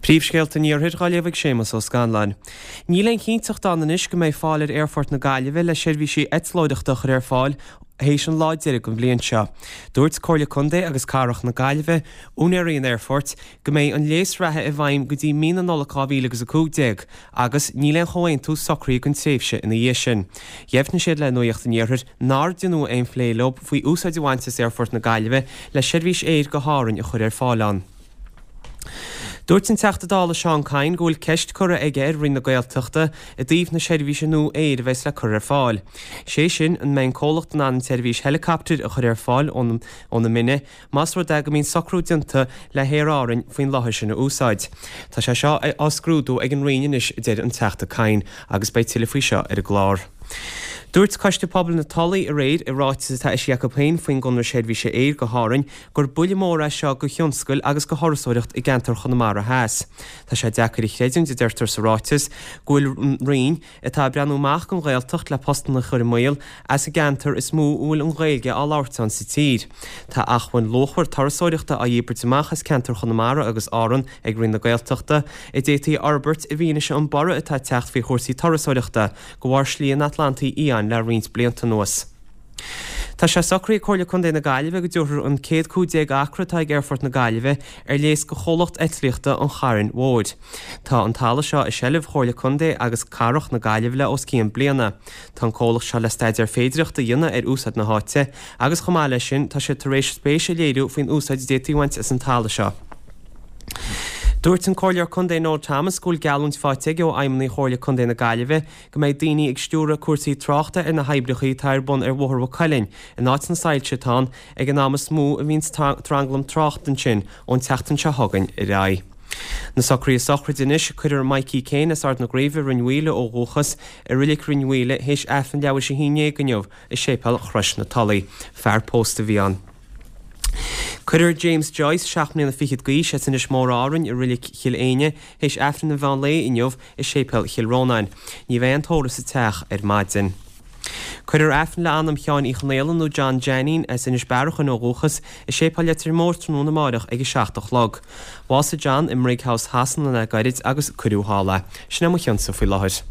Príomhscéalta an Iarthair dhá léamh ag Séamus Ó Scanláin. Níl aon chinnteacht ann anois go mbeidh fáil ar Aerfort na Gaillimhe le seirbhísí eitleoireachta a chur ar fáil théis an lá deiridh den bhliain seo. Dúirt Comhairle Contae agus Cathrach na Gaillimhe, úinéirí an aerfoirt, go mbeidh an léas reatha i bhfeidhm go dtí mí na Nollag 2015 agus níl aon chomhaontú socraithe don tréimhse ina dhiaidh sin. Dheimhnigh siad le Nuacht an Iarthair nár deineadh aon phlé leo faoi úsáid a bhaint as Aerfort na Gaillimhe le seirbhís aeir go hÁrainn a chur ar fáil ann. Dúirt an Teachta Dála Seán Kyne go bhfuil ceist curtha aige ar Roinn na Gaeltachta i dtaobh na seirbhíse nua aeir a bheas le cur ar fáil. Sé sin, an mbeidh an comhlacht in ann an tseirbhís heileacaptair a chur ar fáil ó na Mine más rud é go mbíonn socrú déanta le hAer Árainn faoin láthair sin a úsáid. Tá sé seo á scrúdú ag an Roinn anois, a deir an Teachta Kyne, agus beidh tuilleadh faoi seo ar an gclár. Dúirt Coiste Pobail na Tulaí aréir i ráiteas atá eisithe acu féin faoin gconradh seirbhíse aeir go hÁrainn gur buille mór é seo go thionscail agus go thurasóireacht i gceantar Chonamara Theas. Tá sé deacair a chreidiúint, a deirtear sa ráiteas, go bhfuil Roinn, atá ag breathnú amach don Ghaeltacht le postanna a chur i mbaol, as an gceantar is mó a bhfuil an Ghaeilge á labhairt ann sa tír. Tá acmhainn luachmhar turasóireachta á dhíbirt amach as ceantar Chonamara agus Árann ag Roinn na Gaeltachta, a d'fhéadfaí a fhorbairt i bhfianaise an borradh atá ag teacht faoi chúrsaí turasóireachta de bharr Slí an Atlantaigh Fhiáin le roinnt blianta anuas. Tá sé socraithe ag Comhairle Contae na Gaillimhe go dtabharfar an 115 acra atá ag Aerfort na Gaillimhe ar léas go chomhlacht eitlíochta an Chairn Mhóir. Tá an talamh seo i seilbh Chomhairle Contae agus Cathrach na Gaillimhe le os cionn bliana. Tá an comhlacht seo le staidéar féidireachta a dhéanamh ar úsáid na háite agus chomh maith leis sin tá siad tar éis spéis a léiriú faoin úsáid a d'fhéadfaí a bhaint as an talamh seo. Dúirt an Comhairleoir Contae Noel Thomas go bhfuil geallúint faighte aige ó fheidhmeannaigh Chomhairle Contae na Gaillimhe go mbeidh daoine ag stiúradh cúrsaí tráchta ar na hoibreacha atá ar bun ar Bhóthar Mhaigh Cuilinn in áit na soilse atá ann ag an am is mó a bhíonns tranglam tráchta ansin ón tseachtain seo chugainn ar aghaidh. Na socruithe sochraide anois, Cuirfear Mikey Kane as Ard na Gréibhe, Rinn Mhaoile ó dhúchas, i Reilig Rinn Mhaoile théis Aifreann leathuair théis 11 inniu i Séipéal Chrois na Tulaí. Fear pósta a bhí ann. Cuirfear James Joyce, 7 mbliana fichead d'aois, as Inis Mór Árainn i Reilig Chill Éinne théis Aifreann an mheán lae inniu i Séipéal Chill Rónáin. Ní bheidh aon tórramh sa teach ar maidin. Cuirfear Aifreann le anam Sheáin Uí Chonaola nó John Jeainín, as Inis Bearachain ó dhúchas, i Séipéal Leitir Móir tráthnóna amáireach ag 7 a chlog. Bhásaigh John i mBrighouse Shasana le gairid agus cuireadh thall é. Sin é mo chionsa faoi láthair.